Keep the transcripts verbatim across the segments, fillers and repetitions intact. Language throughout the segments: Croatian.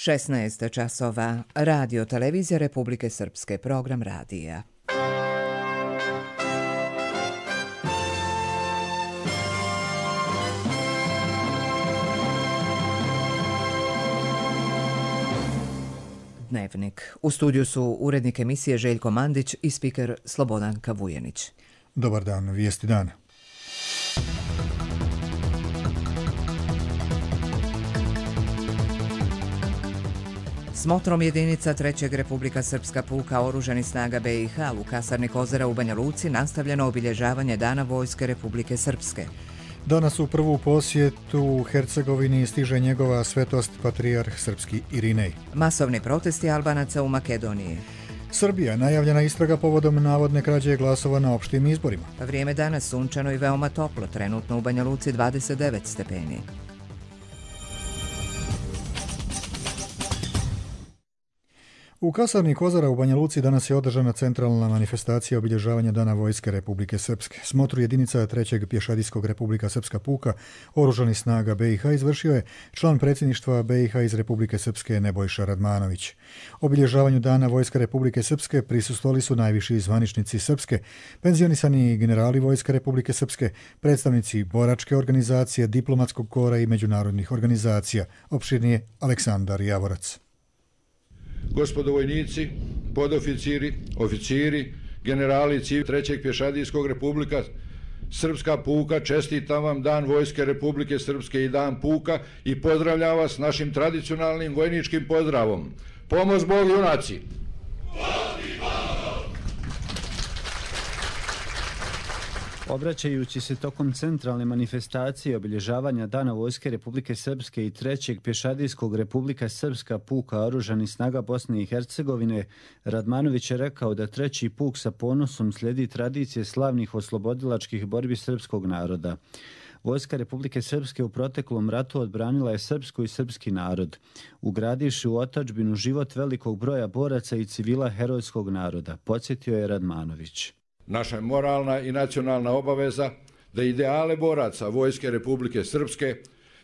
šesnaest časova. Radio televizija Republike Srpske, program radija. Dnevnik. U studiju su urednik emisije Željko Mandić i spiker Slobodanka Vujenić. Dobar dan, vijesti dana. Smotrom jedinica trećeg Republika Srpska puka oružanih snaga B i H u kasarni Kozara u Banja Luci nastavljeno obilježavanje Dana Vojske Republike Srpske. Danas u prvu posjetu u Hercegovini stiže njegova svetost patrijarh srpski Irinej. Masovni protesti Albanaca u Makedoniji. Srbija, najavljena istraga povodom navodne krađe glasova na opštim izborima. Vrijeme danas sunčano i veoma toplo, trenutno u Banja Luci dvadeset devet stepeni. U kasarni Kozara u Banja Luci danas je održana centralna manifestacija obilježavanja Dana Vojske Republike Srpske. Smotru jedinica trećeg pješadijskog Republika Srpska puka oružanih snaga B i H izvršio je član predsjedništva B i H iz Republike Srpske Nebojša Radmanović. Obilježavanju Dana Vojske Republike Srpske prisustvovali su najviši zvaničnici Srpske, penzionisani generali Vojske Republike Srpske, predstavnici boračke organizacije, diplomatskog kora i međunarodnih organizacija. Opširnije Aleksandar Javorac. Gospodo vojnici, podoficiri, oficiri, generali civil trećeg pješadijskog Republika Srpska puka, čestitam vam Dan Vojske Republike Srpske i Dan puka i pozdravljam vas našim tradicionalnim vojničkim pozdravom. Pomoz Bog junaci! Obraćajući se tokom centralne manifestacije obilježavanja Dana Vojske Republike Srpske i trećeg pješadijskog Republika Srpska puka oružanih snaga Bosne i Hercegovine, Radmanović je rekao da treći puk sa ponosom slijedi tradicije slavnih oslobodilačkih borbi srpskog naroda. Vojska Republike Srpske u proteklom ratu odbranila je srpsku i srpski narod, ugradivši u otadžbinu život velikog broja boraca i civila herojskog naroda, podsjetio je Radmanović. Naša je moralna i nacionalna obaveza da ideale boraca Vojske Republike Srpske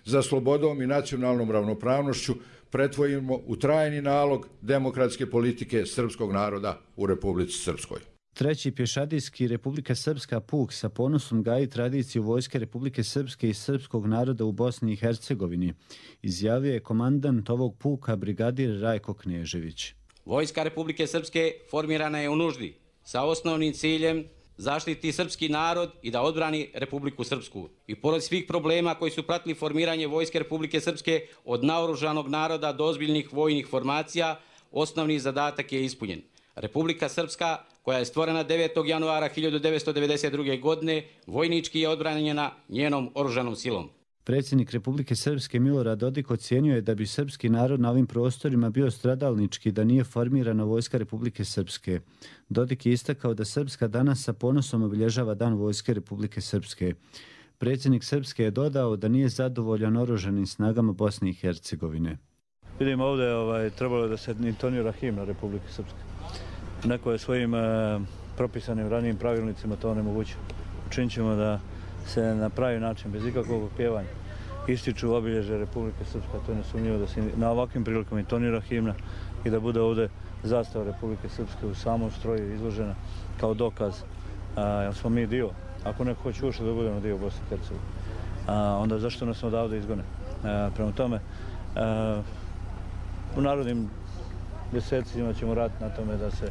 za slobodom i nacionalnom ravnopravnošću pretvorimo u trajni nalog demokratske politike srpskog naroda u Republici Srpskoj. Treći pješadijski Republika Srpska puk sa ponosom gaji tradiciju Vojske Republike Srpske i srpskog naroda u Bosni i Hercegovini, izjavio je komandant ovog puka brigadir Rajko Knežević. Vojska Republike Srpske formirana je u nuždi sa osnovnim ciljem zaštiti srpski narod i da odbrani Republiku Srpsku. I pored svih problema koji su pratili formiranje Vojske Republike Srpske od naoružanog naroda do ozbiljnih vojnih formacija, osnovni zadatak je ispunjen. Republika Srpska, koja je stvorena devetog januara hiljadu devetsto devedeset druge. godine, vojnički je odbranjena njenom oružanom silom. Predsjednik Republike Srpske Milorad Dodik ocijenio je da bi srpski narod na ovim prostorima bio stradalnički da nije formirana Vojska Republike Srpske. Dodik je istakao da Srpska danas sa ponosom obilježava Dan Vojske Republike Srpske. Predsjednik Srpske je dodao da nije zadovoljan oružanim snagama Bosne i Hercegovine. Vidimo ovdje ovaj, trebalo da se intonira himna Republike Srpske. Neko je svojim eh, propisanim ranijim pravilnicima to onemogućio. Učinit ćemo da se na pravi način, bez ikakvog opjevanja, ističu obilježje Republike Srpske. To je nesumnjivo da se na ovakvim prilikama intonira himna i da bude ovdje zastava Republike Srpske u samom stroju izložena kao dokaz. Jer smo mi dio, ako neko hoće ušli da budemo dio Bosne i Hercegovine, onda zašto nas odavde izgone? A, prema tome, a, u narodnim mjesecima ćemo raditi na tome da se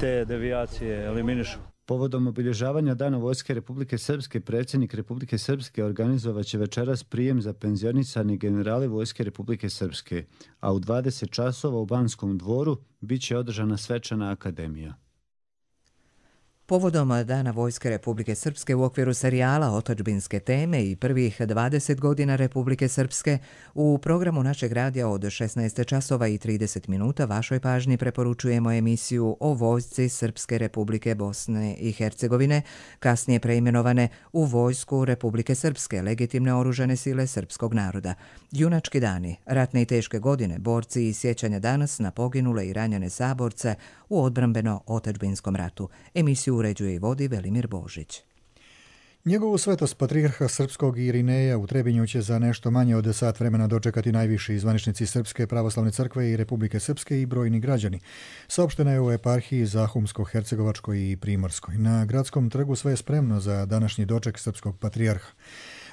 te devijacije eliminišu. Povodom obilježavanja Dana Vojske Republike Srpske, predsjednik Republike Srpske organizovat će večeras prijem za penzionisani generali Vojske Republike Srpske, a u dvadeset časova u Banskom dvoru bit će održana svečana akademija. Povodom Dana Vojske Republike Srpske u okviru serijala Otadžbinske teme i prvih dvadeset godina Republike Srpske u programu našeg radija od šesnaest časova i trideset minuta vašoj pažnji preporučujemo emisiju o Vojsci Srpske Republike Bosne i Hercegovine, kasnije preimenovane u Vojsku Republike Srpske, legitimne oružane sile srpskog naroda. Junački dani, ratne i teške godine, borci i sjećanja danas na poginule i ranjene saborce u odbrambeno-otadžbinskom ratu. Emisiju uređuje i vodi Velimir Božić. Njegovu svetost patrijarha srpskog Irineja u Trebinju će za nešto manje od sat vremena dočekati najviši zvaničnici Srpske pravoslavne crkve i Republike Srpske i brojni građani. Saopšteno je u eparhiji Zahumsko-Hercegovačkoj i Primorskoj. Na gradskom trgu sve je spremno za današnji doček srpskog patrijarha.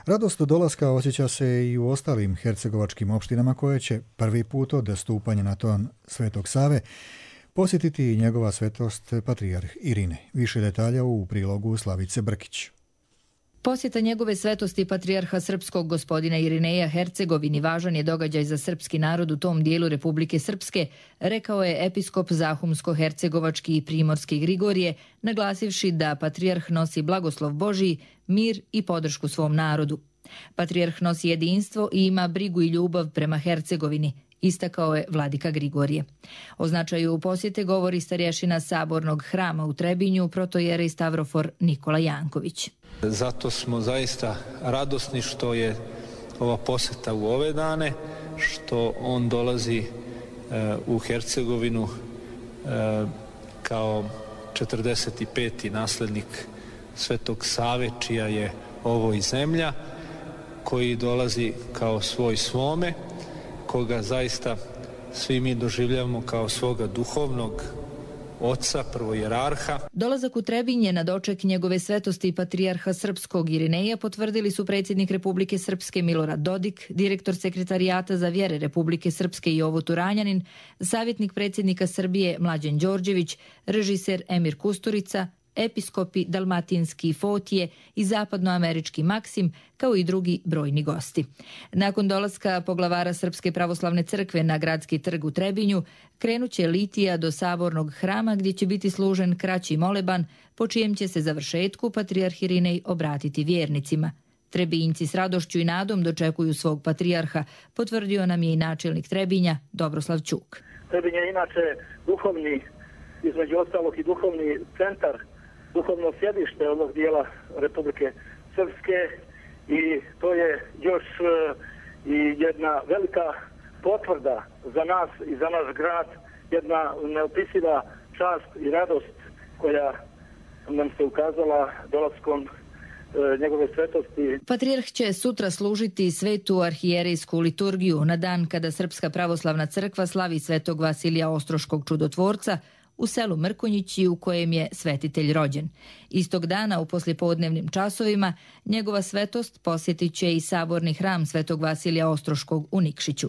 Radost do dolaska osjeća se i u ostalim hercegovačkim opštinama koje će prvi put od stupanja na ton Svetog Save posjetiti njegova svetost patrijarh Irine. Više detalja u prilogu Slavice Brkić. Posjeta njegove svetosti patrijarha srpskog gospodina Irineja Hercegovini važan je događaj za srpski narod u tom dijelu Republike Srpske, rekao je episkop Zahumsko-Hercegovački i Primorski Grigorije, naglasivši da patrijarh nosi blagoslov Božiji, mir i podršku svom narodu. Patrijarh nosi jedinstvo i ima brigu i ljubav prema Hercegovini, istakao je vladika Grigorije. O značaju posjete govori starješina Sabornog hrama u Trebinju, protojerej Stavrofor Nikola Janković. Zato smo zaista radosni što je ova posjeta u ove dane, što on dolazi e, u Hercegovinu e, kao četrdeset peti naslednik Svetog Save, čija je ovo i zemlja, koji dolazi kao svoj svome, koga zaista svi mi doživljavamo kao svoga duhovnog oca, prvojerarha. Dolazak u Trebinje na doček njegove svetosti patrijarha srpskog Irineja potvrdili su predsjednik Republike Srpske Milorad Dodik, direktor sekretarijata za vjere Republike Srpske Jovo Turanjanin, savjetnik predsjednika Srbije Mlađan Đorđević, režiser Emir Kusturica, episkopi Dalmatinski i Fotije i zapadnoamerički Maksim, kao i drugi brojni gosti. Nakon dolaska poglavara Srpske pravoslavne crkve na gradski trg u Trebinju, krenuće litija do Sabornog hrama gdje će biti služen kraći moleban, po čijem će se završetku patrijarh Irinej obratiti vjernicima. Trebinjci s radošću i nadom dočekuju svog patrijarha, potvrdio nam je i načelnik Trebinja Dobroslav Ćuk. Trebinje je inače duhovni, između ostalog i duhovni centar, duhovno sjedište ovog dijela Republike Srpske i to je još i jedna velika potvrda za nas i za naš grad, jedna neopisiva čast i radost koja nam se ukazala dolaskom njegove svetosti. Patrijarh će sutra služiti svetu arhijerejsku liturgiju na dan kada Srpska pravoslavna crkva slavi svetog Vasilija Ostroškog čudotvorca u selu Mrkonjići u kojem je svetitelj rođen. Istog dana u poslijepodnevnim časovima njegova svetost posjetit će i saborni hram svetog Vasilija Ostroškog u Nikšiću.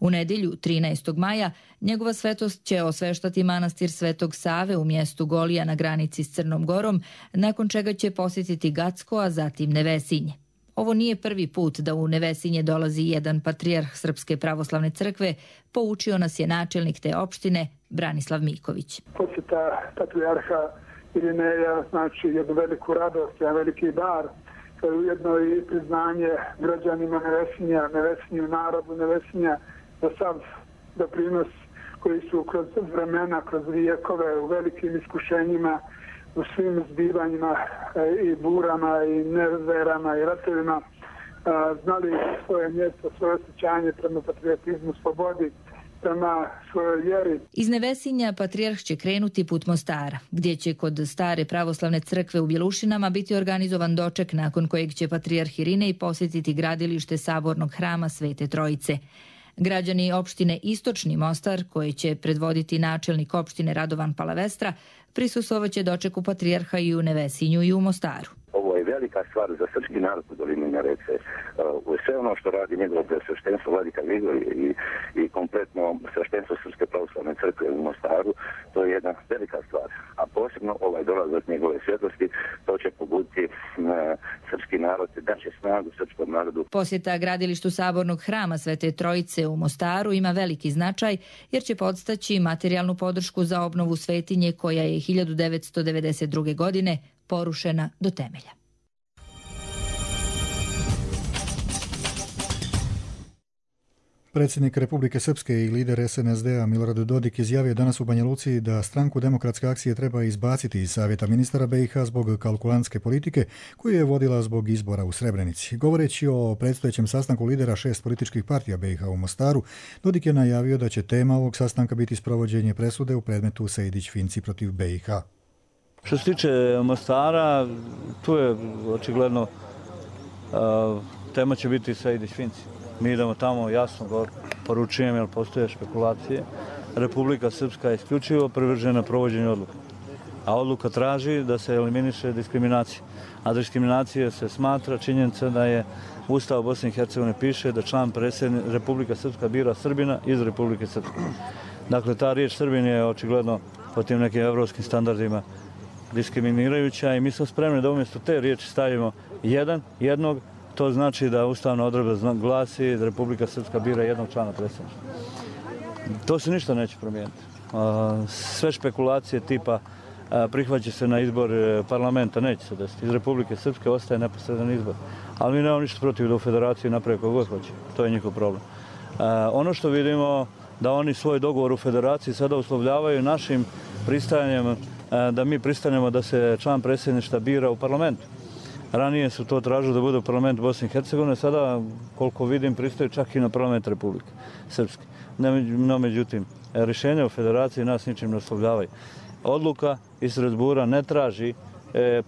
U nedjelju trinaestog maja njegova svetost će osveštati manastir Svetog Save u mjestu Golija na granici s Crnom Gorom, nakon čega će posjetiti Gacko, a zatim Nevesinje. Ovo nije prvi put da u Nevesinje dolazi jedan patrijarh Srpske pravoslavne crkve, poučio nas je načelnik te opštine Branislav Miković. Posjeta patrijarha Irineja znači jednu veliku radost, jedan veliki dar, to je ujedno i priznanje građanima Nevesinja, Nevesinju narodu, Nevesinja za sav doprinos koji su kroz vremena, kroz vijekove u velikim iskušenjima, u svim zbivanjima i burama i neverama i ratovima znali svoje mjesto, svoje osjećanje prema patriotizmu, slobodi, prema svojoj vjeri. Iz Nevesinja patrijarh će krenuti put Mostara, gdje će kod stare pravoslavne crkve u Bjelušinama biti organizovan doček nakon kojeg će patrijarh Irinej posjetiti gradilište Sabornog hrama Svete Trojice. Građani opštine Istočni Mostar, koje će predvoditi načelnik opštine Radovan Palavestra, prisustvovaće dočeku patrijarha i u Nevesinju i u Mostaru. Ovo je velika stvar za srpski narod u dolini Neretve. Uh, sve ono što radi njegovo sveštenstvo vladika Grigorije i, i kompletno sveštenstvo Srpske pravoslavne crkve u Mostaru, to je jedna velika stvar. A posebno ovaj dolazak njegove svjetlosti, to će pobuditi uh, srpski narod, daće snagu srpskom narodu. Posjeta gradilištu Sabornog hrama Svete Trojice u Mostaru ima veliki značaj jer će podstaći materijalnu podršku za obnovu svetinje koja je hiljadu devetsto devedeset druge. godine porušena do temelja. Predsjednik Republike Srpske i lider es en es de a Milorad Dodik izjavio danas u Banja Luci da stranku Demokratske akcije treba izbaciti iz Savjeta ministara be i ha zbog kalkulantske politike koju je vodila zbog izbora u Srebrenici. Govoreći o predstojećem sastanku lidera šest političkih partija be i ha u Mostaru, Dodik je najavio da će tema ovog sastanka biti sprovođenje presude u predmetu Sejdić-Finci protiv be i ha. Što se tiče Mostara, tu je očigledno tema će biti Sejdić-Finci. Mi idemo tamo, jasno poručujem, jer postoje špekulacije. Republika Srpska je isključivo privržena provođenju odluka. A odluka traži da se eliminiše diskriminacija. A diskriminacija se smatra činjenica da je Ustav Bosne i Hercegovine piše da član predsjednika Republika Srpska bira Srbina iz Republike Srpske. Dakle, ta riječ Srbin je očigledno po tim nekim evropskim standardima diskriminirajuća i mi smo spremni da umjesto te riječi stavimo jedan, jednog, to znači da ustavna odredba glasi da Republika Srpska bira jednog člana predsjedništva. To se ništa neće promijeniti. Sve špekulacije tipa prihvaća se na izbor parlamenta, neće se desiti. Iz Republike Srpske ostaje neposredan izbor. Ali mi nemamo ništa protiv da u federaciji naprave kako god hoće. To je njihov problem. Ono što vidimo da oni svoj dogovor u federaciji sada uslovljavaju našim pristajanjem da mi pristanemo da se član predsjedništva bira u parlamentu. Ranije su to tražili da bude u parlamentu Bosne i Hercegovine, sada, koliko vidim, pristaju čak i na parlament Republike Srpske. No, međutim, rješenje u federaciji nas ničim ne uslovljavaju. Odluka iz Strasbura ne traži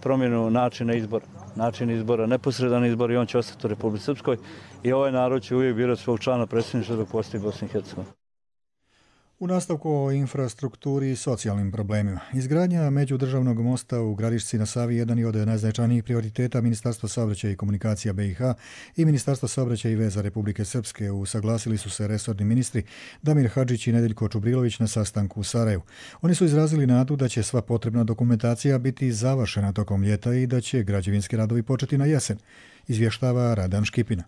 promjenu načina izbora. Način izbora, neposredan izbor i on će ostati u Republici Srpskoj i ovaj narod će uvijek birati svog člana predsjedništva dok postoji Bosna i Hercegovina. U nastavku o infrastrukturi i socijalnim problemima. Izgradnja međudržavnog mosta u Gradišci na Savi jedan je od najznačajnijih prioriteta Ministarstva saobraćaja i komunikacija B i H i Ministarstva saobraćaja i veza Republike Srpske. Usaglasili su se resorni ministri Damir Hadžić i Nedeljko Čubrilović na sastanku u Sarajevu. Oni su izrazili nadu da će sva potrebna dokumentacija biti završena tokom ljeta i da će građevinski radovi početi na jesen, izvještava Radan Škipina.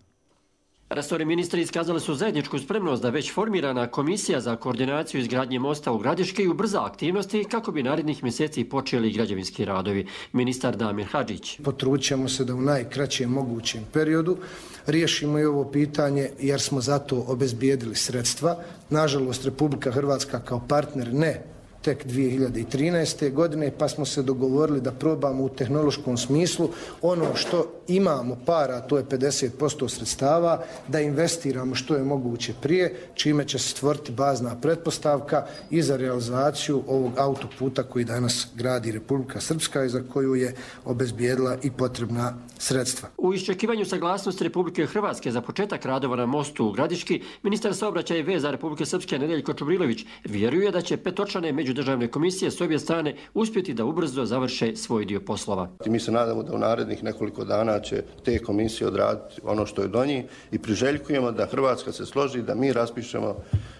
Resorni ministri iskazali su zajedničku spremnost da već formirana komisija za koordinaciju izgradnje mosta u Gradiški ubrza aktivnosti kako bi narednih mjeseci počeli građevinski radovi. Ministar Damir Hadžić. Potrudit ćemo se da u najkraćem mogućem periodu riješimo i ovo pitanje jer smo zato obezbijedili sredstva. Nažalost, Republika Hrvatska kao partner ne tek dvije hiljade trinaeste. godine, pa smo se dogovorili da probamo u tehnološkom smislu ono što imamo para, to je pedeset posto sredstava, da investiramo što je moguće prije, čime će se stvoriti bazna pretpostavka i za realizaciju ovog autoputa koji danas gradi Republika Srpska i za koju je obezbijedila i potrebna sredstva. U iščekivanju saglasnosti Republike Hrvatske za početak radova na mostu u Gradiški, ministar saobraćaja i veza Republike Srpske Nedeljko Čubrilović vjeruje da će petočlane međudržavne komisije s obje strane uspjeti da ubrzo završe svoj dio poslova. Mi se nadamo da u narednih nekoliko dana će te komisije odraditi ono što je do njih i priželjkujemo da Hrvatska se složi da mi raspišemo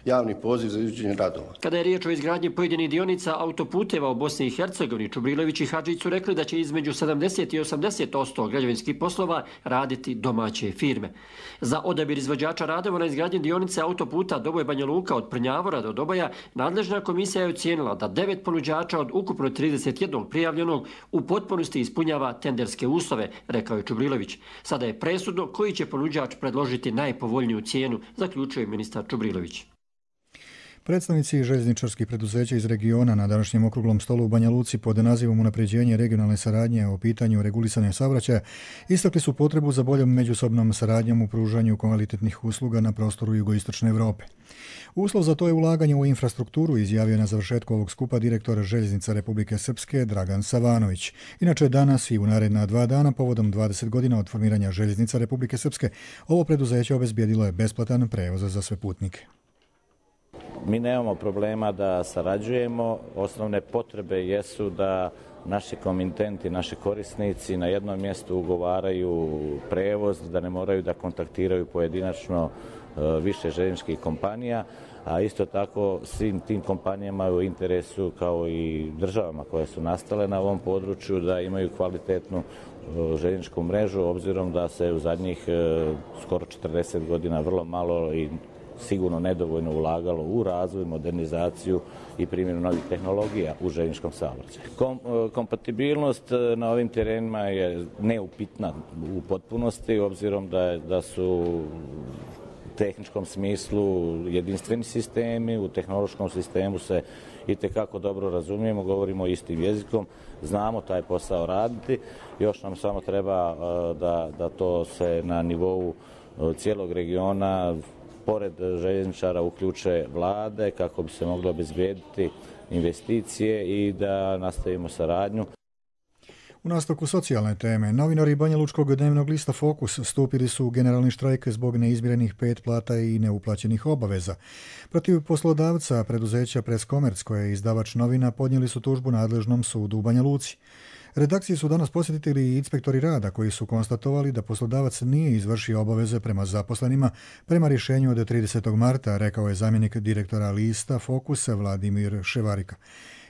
javni poziv za izvođenje radova. Kada je riječ o izgradnji pojedinih dionica autoputeva u Bosni i Hercegovini, Čubrilović i Hadžić su rekli da će između sedamdeset i osamdeset posto građevinskih poslova raditi domaće firme. Za odabir izvođača radova na izgradnji dionice autoputa Doboj Banja Luka od Prnjavora do Doboja, nadležna komisija je ocijenila da devet ponuđača od ukupno trideset jednog prijavljenog u potpunosti ispunjava tenderske uslove, rekao je Čubrilović. Sada je presudno koji će ponuđač predložiti najpovoljniju cijenu, zaključuje ministar Čubrilović. Predstavnici željezničarskih preduzeća iz regiona na današnjem okruglom stolu u Banja Luci pod nazivom Unapređenje regionalne saradnje o pitanju regulisanja saobraćaja istakli su potrebu za boljom međusobnom saradnjom u pružanju kvalitetnih usluga na prostoru jugoistočne Europe. Uslov za to je ulaganje u infrastrukturu, izjavio na završetku ovog skupa direktor Željeznica Republike Srpske Dragan Savanović. Inače, danas i u naredna dva dana, povodom dvadeset godina od formiranja Željeznica Republike Srpske, ovo preduzeće obezbijedilo je besplatan prevoz za sve putnike. Mi nemamo problema da sarađujemo, osnovne potrebe jesu da naši komitenti, naši korisnici na jednom mjestu ugovaraju prevoz, da ne moraju da kontaktiraju pojedinačno više željezničkih kompanija, a isto tako svim tim kompanijama u interesu kao i državama koje su nastale na ovom području da imaju kvalitetnu željezničku mrežu, obzirom da se u zadnjih skoro četrdeset godina vrlo malo i sigurno nedovoljno ulagalo u razvoj, modernizaciju i primjenu novih tehnologija u željezničkom saobraćaju. Kom, kompatibilnost na ovim terenima je neupitna u potpunosti, obzirom da, je, da su u tehničkom smislu jedinstveni sistemi, u tehnološkom sistemu se itekako dobro razumijemo, govorimo istim jezikom, znamo taj posao raditi, još nam samo treba da, da to se na nivou cijelog regiona pored željezničara uključe vlade kako bi se moglo obezbijediti investicije i da nastavimo saradnju. U nastavku socijalne teme, novinari Banjalučkog dnevnog lista Fokus stupili su u generalni štrajk zbog neizmirenih pet plata i neuplaćenih obaveza. Protiv poslodavca preduzeća Press Commerce, koje je izdavač novina, podnijeli su tužbu nadležnom sudu u Banja Luci. Redakciji su danas posjetili i inspektori rada koji su konstatovali da poslodavac nije izvršio obaveze prema zaposlenima prema rješenju od tridesetog marta, rekao je zamjenik direktora lista Fokusa Vladimir Ševarika.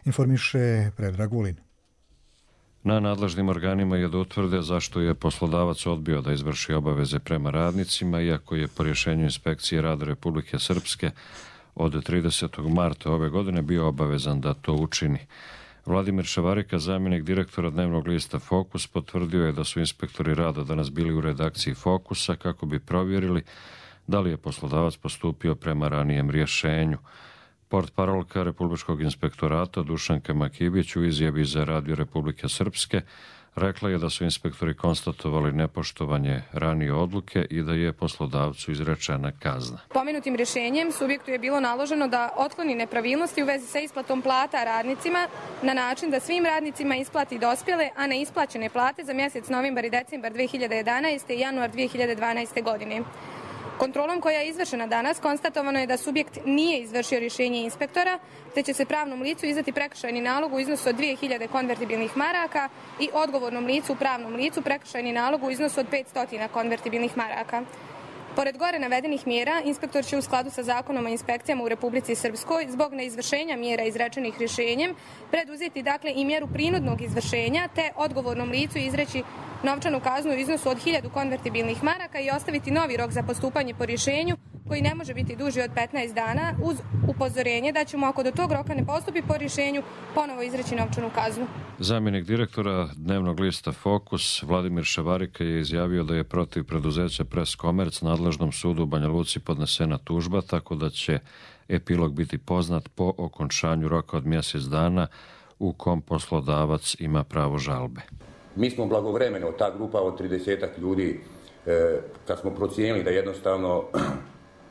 Informiše Predrag Vulin. Na nadležnim organima je da utvrde zašto je poslodavac odbio da izvrši obaveze prema radnicima, iako je po rješenju Inspekcije rada Republike Srpske od tridesetog marta ove godine bio obavezan da to učini. Vladimir Ševarika, zamjenik direktora dnevnog lista Fokus, potvrdio je da su inspektori rada danas bili u redakciji Fokusa kako bi provjerili da li je poslodavac postupio prema ranijem rješenju. Portparolka Republičkog inspektorata Dušanka Makibić u izjavi za Radio Republike Srpske rekla je da su inspektori konstatovali nepoštovanje ranije odluke i da je poslodavcu izrečena kazna. Pomenutim rješenjem subjektu je bilo naloženo da otkloni nepravilnosti u vezi sa isplatom plata radnicima na način da svim radnicima isplati dospjele, a neisplaćene plate za mjesec novembar i decembar dve hiljade jedanaeste i januar dve hiljade dvanaeste. godine. Kontrolom koja je izvršena danas konstatovano je da subjekt nije izvršio rješenje inspektora, te će se pravnom licu izdati prekršajni nalog u iznosu od dvije hiljade konvertibilnih maraka i odgovornom licu u pravnom licu prekršajni nalog u iznosu od petsto konvertibilnih maraka. Pored gore navedenih mjera, inspektor će u skladu sa zakonom o inspekcijama u Republici Srpskoj zbog neizvršenja mjera izrečenih rješenjem preduzeti dakle i mjeru prinudnog izvršenja te odgovornom licu izreći novčanu kaznu u iznosu od hiljadu konvertibilnih maraka i ostaviti novi rok za postupanje po rješenju koji ne može biti duži od petnaest dana uz upozorenje da ćemo ako do tog roka ne postupi po rješenju ponovo izreći novčanu kaznu. Zamjenik direktora dnevnog lista Fokus Vladimir Ševarika je izjavio da je protiv preduzeća Press Commerce nadležnom sudu u Banja Luci podnesena tužba, tako da će epilog biti poznat po okončanju roka od mjesec dana u kom poslodavac ima pravo žalbe. Mi smo blagovremeno, ta grupa od tridesetak ljudi, kad smo procijenili da jednostavno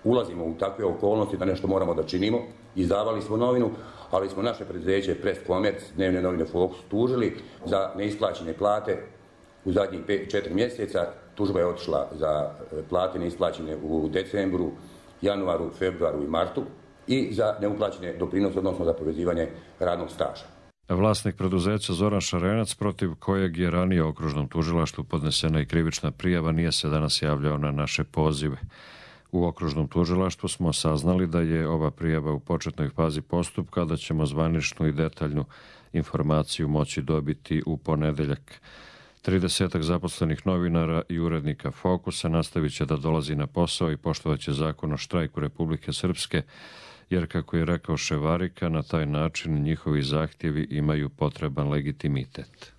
ulazimo u takve okolnosti da nešto moramo da činimo, izdavali smo novinu, ali smo naše preduzeće Press Commerce, dnevne novine Fokus, tužili za neisplaćene plate u zadnjih četiri mjeseca. Tužba je otišla za plate neisplaćene u decembru, januaru, februaru i martu i za neuplaćene doprinose, odnosno za povezivanje radnog staža. Vlasnik preduzeća Zoran Šarenac, protiv kojeg je ranije okružnom tužilaštvu podnesena i krivična prijava, nije se danas javljao na naše pozive. U okružnom tužilaštvu smo saznali da je ova prijava u početnoj fazi postupka, da ćemo zvaničnu i detaljnu informaciju moći dobiti u ponedeljak. tridesetak zaposlenih novinara i urednika Fokusa nastavit će da dolazi na posao i poštovaće zakon o štrajku Republike Srpske, jer, kako je rekao Ševarika, na taj način njihovi zahtjevi imaju potreban legitimitet.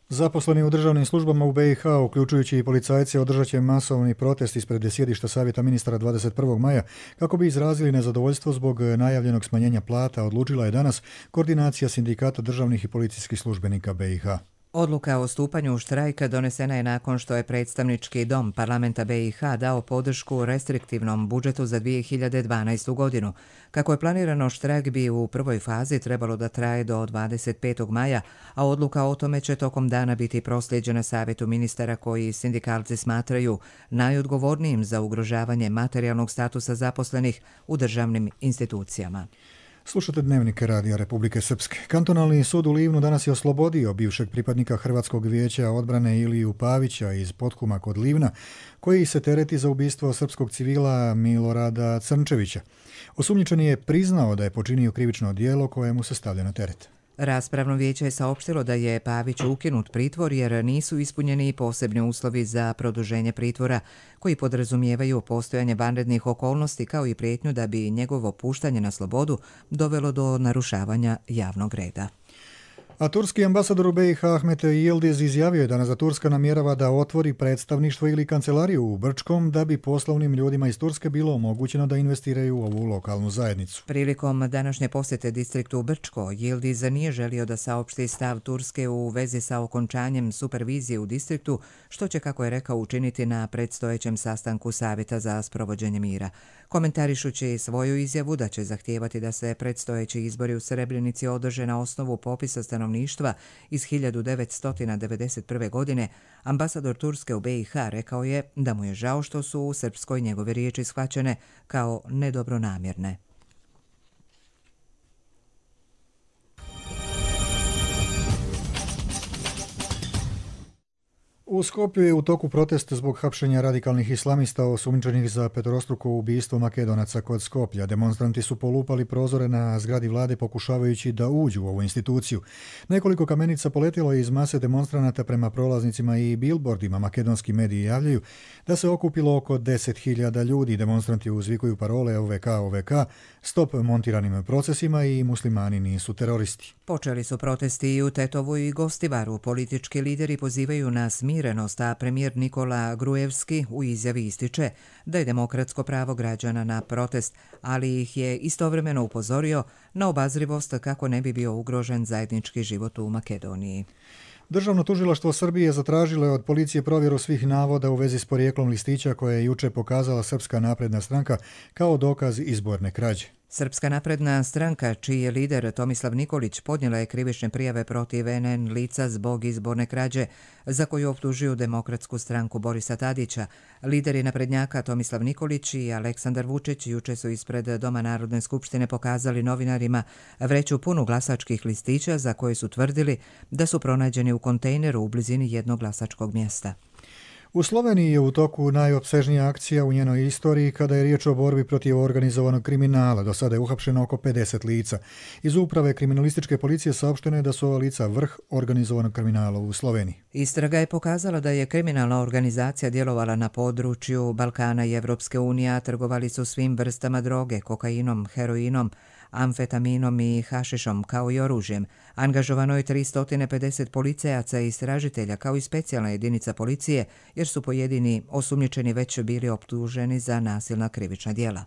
Zaposleni u državnim službama u be i ha, uključujući i policajce, održat će masovni protest ispred sjedišta Savjeta ministara dvadeset prvog maja kako bi izrazili nezadovoljstvo zbog najavljenog smanjenja plata, odlučila je danas koordinacija sindikata državnih i policijskih službenika be i ha. Odluka o stupanju u štrajka donesena je nakon što je predstavnički dom parlamenta be i ha dao podršku restriktivnom budžetu za dvije hiljade dvanaestu. godinu. Kako je planirano, štrajk bi u prvoj fazi trebalo da traje do dvadeset petog maja, a odluka o tome će tokom dana biti proslijeđena Savjetu ministara koji sindikalci smatraju najodgovornijim za ugrožavanje materijalnog statusa zaposlenih u državnim institucijama. Slušate Dnevnik Radija Republike Srpske. Kantonalni sud u Livnu danas je oslobodio bivšeg pripadnika Hrvatskog vijeća odbrane Iliju Pavića iz Potkuma kod Livna, koji se tereti za ubistvo srpskog civila Milorada Crnčevića. Osumnjičeni je priznao da je počinio krivično djelo koje mu se stavlja na teret. Raspravno vijeće je saopštilo da je Pavić ukinut pritvor jer nisu ispunjeni posebni uslovi za produženje pritvora koji podrazumijevaju postojanje vanrednih okolnosti kao i prijetnju da bi njegovo puštanje na slobodu dovelo do narušavanja javnog reda. A turski ambasador u B i H Ahmet Yildiz izjavio je danas da Turska namjerava da otvori predstavništvo ili kancelariju u Brčkom da bi poslovnim ljudima iz Turske bilo omogućeno da investiraju u ovu lokalnu zajednicu. Prilikom današnje posjete distriktu Brčko, Yildiz nije želio da saopšti stav Turske u vezi sa okončanjem supervizije u distriktu, što će, kako je rekao, učiniti na predstojećem sastanku Savjeta za sprovođenje mira. Komentarišući svoju izjavu da će zahtijevati da se predstojeći izbori u Srebrenici održe na osnovu popisa stanovništva iz hiljadu devetsto devedeset prve. godine, ambasador Turske u B i H rekao je da mu je žao što su u Srpskoj njegove riječi shvaćene kao nedobronamjerne. U Skopju je u toku protest zbog hapšenja radikalnih islamista osumnjičenih za petorostruko ubistvo Makedonaca kod Skoplja. Demonstranti su polupali prozore na zgradi vlade pokušavajući da uđu u ovu instituciju. Nekoliko kamenica poletilo je iz mase demonstranata prema prolaznicima i bilbordima. Makedonski mediji javljaju da se okupilo oko deset hiljada ljudi. Demonstranti uzvikuju parole O V K, O V K, stop montiranim procesima i muslimani nisu teroristi. Počeli su protesti i u Tetovu i Gostivaru. Politički lideri pozivaju na smirenost, a premijer Nikola Grujevski u izjavi ističe da je demokratsko pravo građana na protest, ali ih je istovremeno upozorio na obazrivost kako ne bi bio ugrožen zajednički život u Makedoniji. Državno tužilaštvo Srbije zatražilo je od policije provjeru svih navoda u vezi s porijeklom listića koje je juče pokazala Srpska napredna stranka kao dokaz izborne krađe. Srpska napredna stranka, čiji je lider Tomislav Nikolić, podnijela je krivične prijave protiv N N lica zbog izborne krađe, za koju optužuju Demokratsku stranku Borisa Tadića. Lideri naprednjaka Tomislav Nikolić i Aleksandar Vučić juče su ispred Doma Narodne skupštine pokazali novinarima vreću punu glasačkih listića za koje su tvrdili da su pronađeni u kontejneru u blizini jednog glasačkog mjesta. U Sloveniji je u toku najopsežnija akcija u njenoj istoriji kada je riječ o borbi protiv organizovanog kriminala. Do sada je uhapšeno oko pedeset lica. Iz uprave kriminalističke policije saopšteno je da su ova lica vrh organizovanog kriminala u Sloveniji. Istraga je pokazala da je kriminalna organizacija djelovala na području Balkana i Evropske unije, a trgovali su svim vrstama droge, kokainom, heroinom, amfetaminom i hašišom, kao i oružjem. Angažovano je tristo pedeset policajaca i istražitelja, kao i specijalna jedinica policije, jer su pojedini osumnjičeni već bili optuženi za nasilna krivična djela.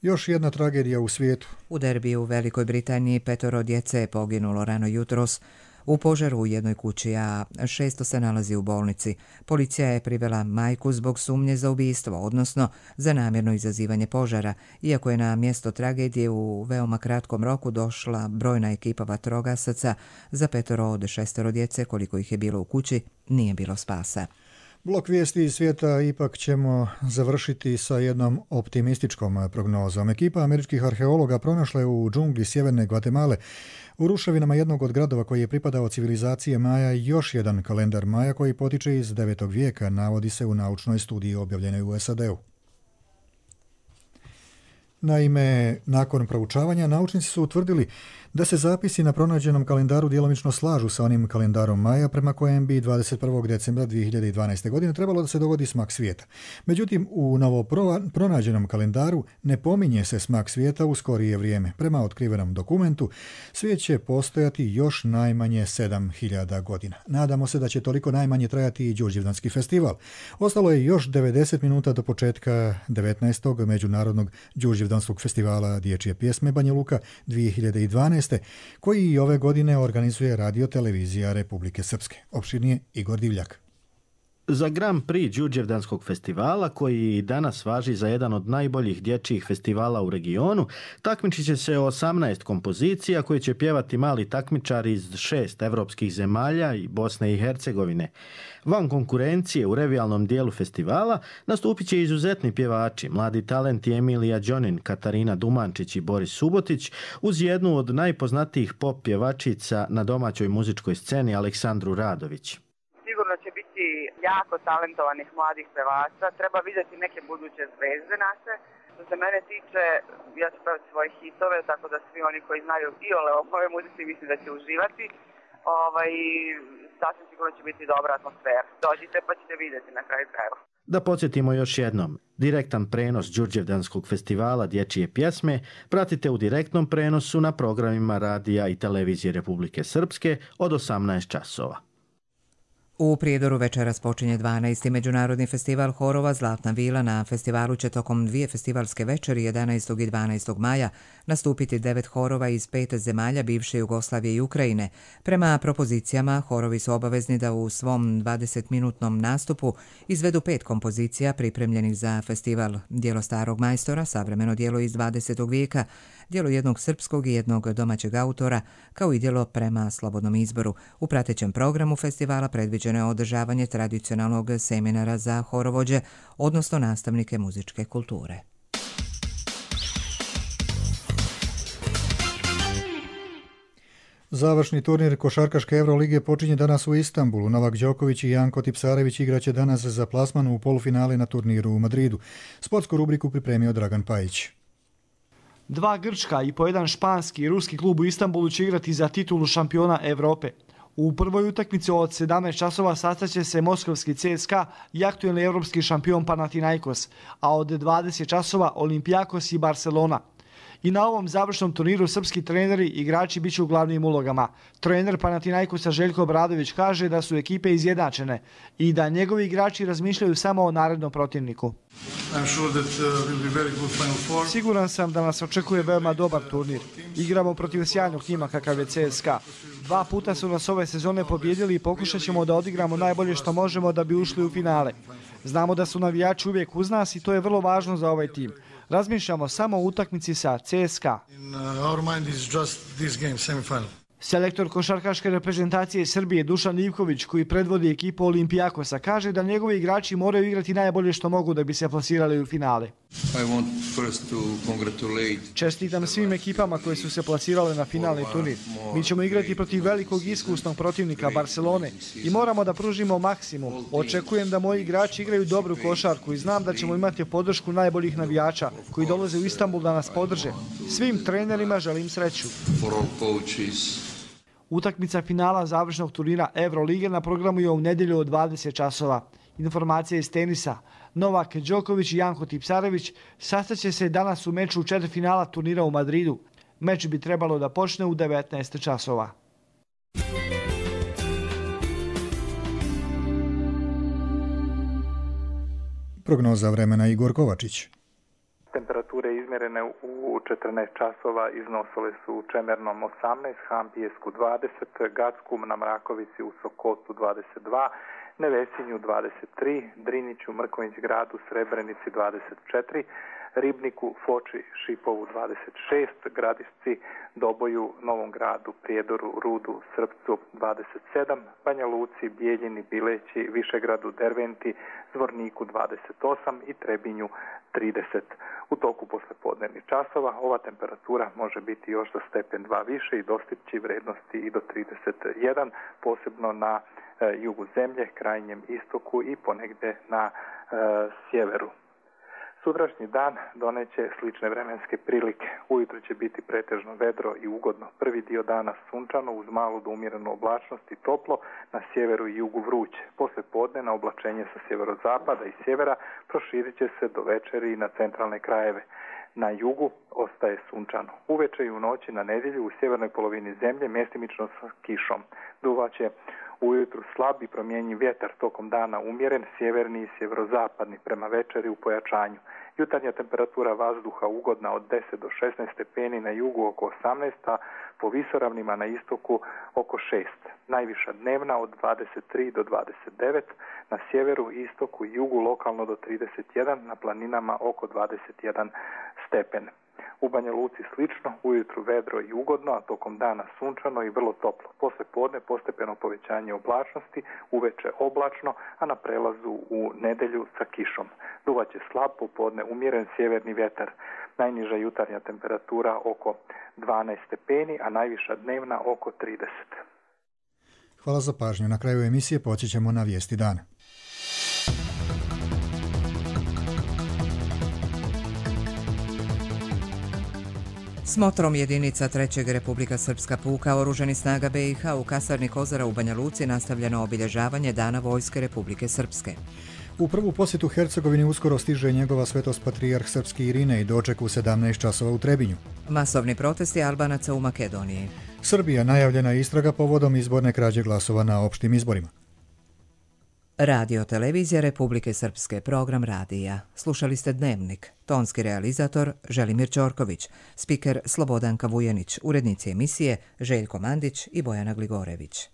Još jedna tragedija u svijetu. U derbiju u Velikoj Britaniji petoro djece je poginulo rano jutros u požaru u jednoj kući, a šesto se nalazi u bolnici. Policija je privela majku zbog sumnje za ubistvo, odnosno za namjerno izazivanje požara, iako je na mjesto tragedije u veoma kratkom roku došla brojna ekipa vatrogasaca. Za petoro od šestero djece, koliko ih je bilo u kući, nije bilo spasa. Blok vijesti iz svijeta ipak ćemo završiti sa jednom optimističkom prognozom. Ekipa američkih arheologa pronašla je u džungli sjeverne Gvatemale u ruševinama jednog od gradova koji je pripadao civilizacije Maja još jedan kalendar Maja koji potiče iz devetog vijeka, navodi se u naučnoj studiji objavljenoj u S A D-u. Naime, nakon proučavanja naučnici su utvrdili da se zapisi na pronađenom kalendaru djelomično slažu sa onim kalendarom Maja prema kojem bi dvadeset prvog decembra dvije hiljade dvanaeste. godine trebalo da se dogodi smak svijeta. Međutim, u novo pronađenom kalendaru ne pominje se smak svijeta u skorije vrijeme. Prema otkrivenom dokumentu, svijet će postojati još najmanje sedam hiljada godina. Nadamo se da će toliko najmanje trajati i Đurđevdanski festival. Ostalo je još devedeset minuta do početka devetnaestog međunarodnog Đurđevdanskog festivala dječje pjesme Banja Luka dvije hiljade dvanaeste. koji i ove godine organizuje Radio televizija Republike Srpske. Opširnije Igor Divljak. Za Grand Prix Đurđevdanskog festivala, koji i danas važi za jedan od najboljih dječjih festivala u regionu, takmičit će se osamnaest kompozicija koje će pjevati mali takmičari iz šest evropskih zemalja i Bosne i Hercegovine. Van konkurencije u revijalnom dijelu festivala nastupit će izuzetni pjevači, mladi talenti Emilija Đonin, Katarina Dumančić i Boris Subotić, uz jednu od najpoznatijih pop pjevačica na domaćoj muzičkoj sceni Aleksandru Radović. Sigurno će biti jako talentovanih mladih pevača. Treba vidjeti neke buduće zvezde naše. Što se mene tiče, ja ću pevati svoje hitove, tako da svi oni koji znaju iole o mojoj muzici mislim da će uživati. Ovaj, sasvim sigurno će biti dobra atmosfera. Dođite pa ćete vidjeti na kraju krajeva. Da podsjetimo još jednom, direktan prenos Đurđevdanskog festivala dječje pjesme pratite u direktnom prenosu na programima radija i televizije Republike Srpske od osamnaest časova. U Prijedoru večeras počinje dvanaesti Međunarodni festival horova Zlatna vila. Na festivalu će tokom dvije festivalske večeri jedanaestog i dvanaestog maja nastupiti devet horova iz pet zemalja bivše Jugoslavije i Ukrajine. Prema propozicijama, horovi su obavezni da u svom dvadesetminutnom nastupu izvedu pet kompozicija pripremljenih za festival: djelo starog majstora, savremeno djelo iz dvadesetog vijeka, djelo jednog srpskog i jednog domaćeg autora, kao i djelo prema slobodnom izboru. U pratećem programu festivala predviđeno je održavanje tradicionalnog seminara za horovođe, odnosno nastavnike muzičke kulture. Završni turnir košarkaške Evrolige počinje danas u Istanbulu. Novak Đoković i Janko Tipsarević igraće danas za plasman u polufinale na turniru u Madridu. Sportsku rubriku pripremio Dragan Pajić. Dva grčka i po jedan španski i ruski klub u Istanbulu će igrati za titulu šampiona Evrope. U prvoj utakmici od sedamnaest časova sastaće se moskovski C S K A i aktuelni evropski šampion Panathinaikos, a od dvadeset časova Olympiakos i Barcelona. I na ovom završnom turniru srpski treneri i igrači bit će u glavnim ulogama. Trener Panathinaikosa Željko Obradović kaže da su ekipe izjednačene i da njegovi igrači razmišljaju samo o narednom protivniku. Siguran sam da nas očekuje veoma dobar turnir. Igramo protiv sjajnog tima kakav je C S K A. Dva puta su nas ove sezone pobjedili i pokušat ćemo da odigramo najbolje što možemo da bi ušli u finale. Znamo da su navijači uvijek uz nas i to je vrlo važno za ovaj tim. Razmišljamo samo o utakmici sa C S K A. Selektor košarkaške reprezentacije Srbije Dušan Ivković, koji predvodi ekipu Olympiakosa, kaže da njegovi igrači moraju igrati najbolje što mogu da bi se plasirali u finale. Čestitam svim ekipama koje su se plasirale na finalni turnir. Mi ćemo igrati protiv velikog iskusnog protivnika Barcelone i moramo da pružimo maksimum. Očekujem da moji igrači igraju dobru košarku i znam da ćemo imati podršku najboljih navijača koji dolaze u Istanbul da nas podrže. Svim trenerima želim sreću. Utakmica finala završnog turnira Evrolige na programu je u nedjelju od dvadeset časova. Informacija iz tenisa. Novak Đoković i Janko Tipsarević sastaće se danas u meču četvrtfinala turnira u Madridu. Meč bi trebalo da počne u devetnaest časova. Prognoza vremena Igor Kovačić. Temperature izmjerene u četrnaest časova iznosile su u Čemernom osamnaest, Hampijesku dvadeset, Gacku na Mrakovici u Sokotu dvadeset dva, Nevesinju dvadeset tri, Driniću, Mrkonjić gradu, Srebrenici dvadeset četiri, Ribniku, Foči, Šipovu dvadeset šest, Gradišci, Doboju, Novom gradu, Prijedoru, Rudu, Srpcu dvadeset sedam, Banja Luci, Bijeljini, Bileći, Višegradu, Derventi, Zvorniku dvadeset osam i Trebinju trideset. U toku poslepodnevnih časova ova temperatura može biti još za stepen dva više i dostići vrednosti i do trideset jedan, posebno na e, jugu zemlje, krajnjem istoku i ponegde na e, sjeveru. Sutrašnji dan doneće slične vremenske prilike. Ujutro će biti pretežno vedro i ugodno. Prvi dio dana sunčano uz malu do umjerenu oblačnost i toplo, na sjeveru i jugu vruće. Posle podne na oblačenje sa sjeverozapada i sjevera proširit će se do večeri i na centralne krajeve. Na jugu ostaje sunčano. Uveče i u noći na nedjelju u sjevernoj polovini zemlje mjestimično sa kišom. Duvaće ujutru slab i promjenjiv vjetar, tokom dana umjeren, sjeverni i sjeverozapadni, prema večeri u pojačanju. Jutarnja temperatura vazduha ugodna od deset do šesnaest stepeni, na jugu oko osamnaest, a po visoravnima na istoku oko šest. Najviša dnevna od dvadeset tri do dvadeset devet, na sjeveru, istoku i jugu lokalno do trideset jedan, na planinama oko dvadeset jedan stepen. U Banja Luci slično, ujutru vedro i ugodno, a tokom dana sunčano i vrlo toplo. Posle podne postepeno povećanje oblačnosti, uveče oblačno, a na prelazu u nedelju sa kišom. Duvaće slab, popodne umjeren sjeverni vjetar. Najniža jutarnja temperatura oko dvanaest stepeni, a najviša dnevna oko trideset. Hvala za pažnju. Na kraju emisije počećemo na vijesti dana. Smotrom jedinica trećeg Republika Srpska puka Oružanih snaga B i H u kasarni Kozara u Banja Luci nastavljeno obilježavanje Dana vojske Republike Srpske. U prvu posjetu Hercegovini uskoro stiže njegova svetost patrijarh srpski Irinej, doček u sedamnaest časova u Trebinju. Masovni protesti Albanaca u Makedoniji. Srbija najavljena istraga povodom izborne krađe glasova na opštim izborima. Radio televizija Republike Srpske, program radija. Slušali ste Dnevnik. Tonski realizator Želimir Ćorković, spiker Slobodanka Vujenić, urednici emisije Željko Mandić i Bojana Gligorević.